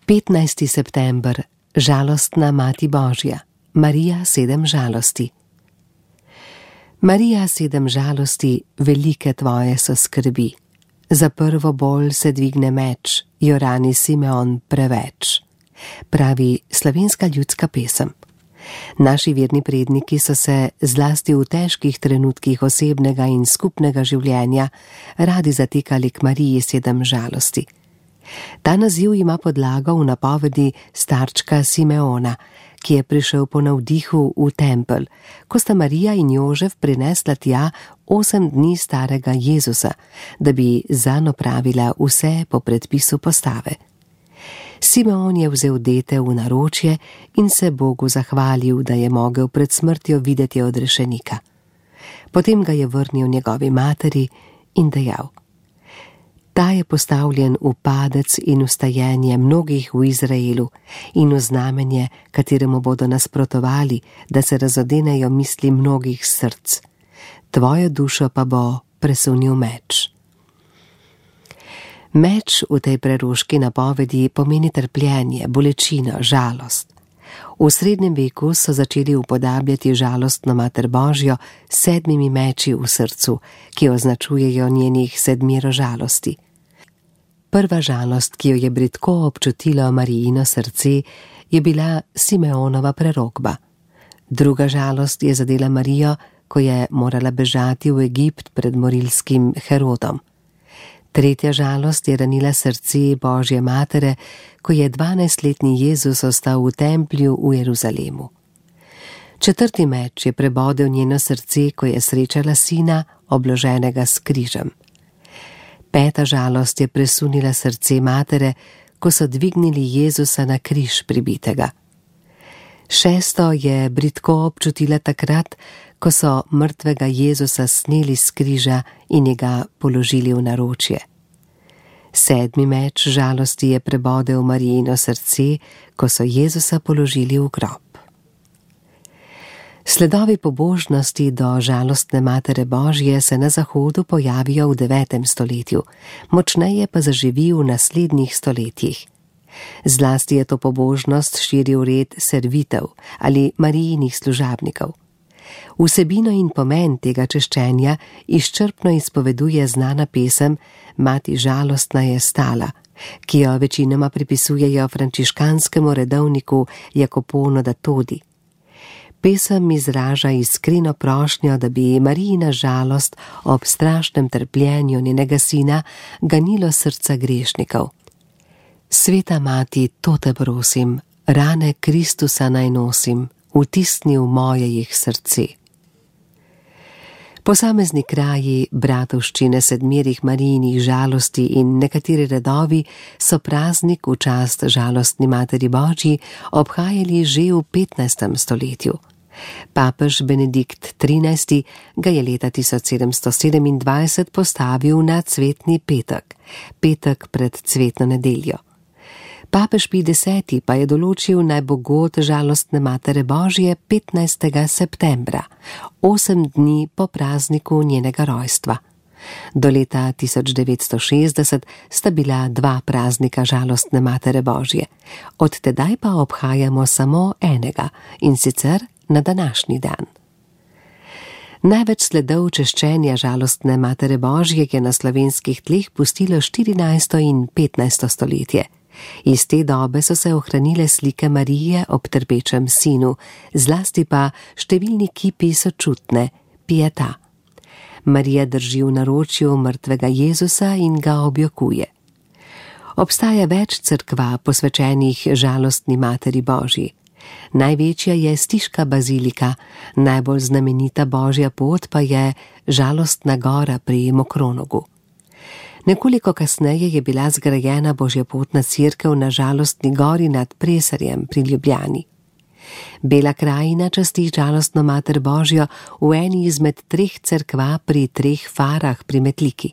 15. september, žalostna Mati Božja, Marija 7 žalosti. Marija 7 žalosti, velike tvoje so skrbi. Za prvo bolj se dvigne meč, jo rani Simeon preveč, pravi slovenska ljudska pesem. Naši verni predniki so se zlasti v težkih trenutkih osebnega in skupnega življenja radi zatekali k Mariji 7 žalosti. Ta naziv ima podlago v napovedi starčka Simeona, ki je prišel po navdihu v tempelj, ko sta Marija in Jožef prinesla tja 8 dni starega Jezusa, da bi zanj opravila vse po predpisu postave. Simeon je vzel dete v naročje in se Bogu zahvalil, da je mogel pred smrtjo videti odrešenika. Potem ga je vrnil njegovi materi in dejal: Ta je postavljen v padec in vstajenje mnogih v Izraelu in v znamenje, kateremu bodo nasprotovali, da se razodenejo misli mnogih src. Tvojo dušo pa bo presunil meč. Meč v tej preroški napovedi pomeni trpljenje, bolečino, žalost. V srednjem veku so začeli upodabljati žalostno Mater Božjo s 7 meči v srcu, ki označujejo njenih 7 žalosti. Prva žalost, ki jo je bridko občutilo Marijino srce, je bila Simeonova prerokba. Druga žalost je zadela Marijo, ko je morala bežati v Egipt pred morilskim Herodom. Tretja žalost je ranila srce Božje matere, ko je 12-letni Jezus ostal v templju v Jeruzalemu. Četrti meč je prebodel njeno srce, ko je srečala sina, obloženega s križem. Peta žalost je presunila srce matere, ko so dvignili Jezusa na križ pribitega. Šesto je bridko občutila takrat, ko so mrtvega Jezusa sneli s križa in ga položili v naročje. 7. meč žalosti je prebodel Marijino srce, ko so Jezusa položili v grob. Sledovi pobožnosti do žalostne Matere Božje se na Zahodu pojavijo v 9. stoletju, močneje pa zaživi v naslednjih stoletjih. Zlasti je to pobožnost širil red servitev ali Marijinih služabnikov. Vsebino in pomen tega češčenja izčrpno izpoveduje znana pesem Mati žalostna je stala, ki jo večinoma pripisujejo frančiškanskemu redovniku Jacoponu da Todi. Pesem izraža iskreno prošnjo, da bi Marijina žalost ob strašnem trpljenju njenega sina ganilo srca grešnikov. Sveta mati, to te prosim, rane Kristusa naj nosim, vtisni v moje jih srce. Posamezni kraji, bratovščine 7 Marijinih žalosti in nekateri redovi so praznik v čast žalostni Materi Božji obhajali že v 15. stoletju. Papež Benedikt XIII. Ga je leta 1727 postavil na cvetni petek, petek pred cvetno nedeljo. Papež Pij X. pa je določil naj bo god žalostne Matere Božje 15. septembra, 8 dni po prazniku njenega rojstva. Do leta 1960 sta bila 2 praznika žalostne Matere Božje, od tedaj pa obhajamo samo enega, in sicer na današnji dan. Največ sledov češčenja žalostne Matere Božje je na slovenskih tleh pustilo 14. in 15. stoletje. Iz te dobe so se ohranile slike Marije ob trpečem sinu, zlasti pa številni kipi sočutne, pieta. Marija drži v naročju mrtvega Jezusa in ga objokuje. Obstaja več cerkva posvečenih žalostni Materi Božji. Največja je Stiška bazilika, najbolj znamenita Božja pot pa je Žalostna gora pri Mokronogu. Nekoliko kasneje je bila zgrajena božjepotna cerkev na Žalostni gori nad Presarjem pri Ljubljani. Bela krajina časti žalostno Mater Božjo v eni izmed 3 cerkva pri 3 farah pri Metliki.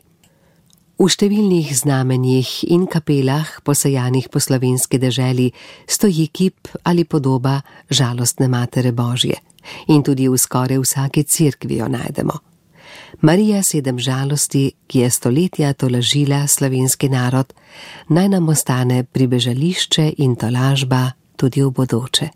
V številnih znamenjih in kapelah, posejanih po slovenski deželi, stoji kip ali podoba žalostne Matere Božje in tudi v skoraj vsaki cerkvi jo najdemo. Marija 7 žalosti, ki je stoletja tolažila slovenski narod, naj nam ostane pribežališče in tolažba tudi v bodoče.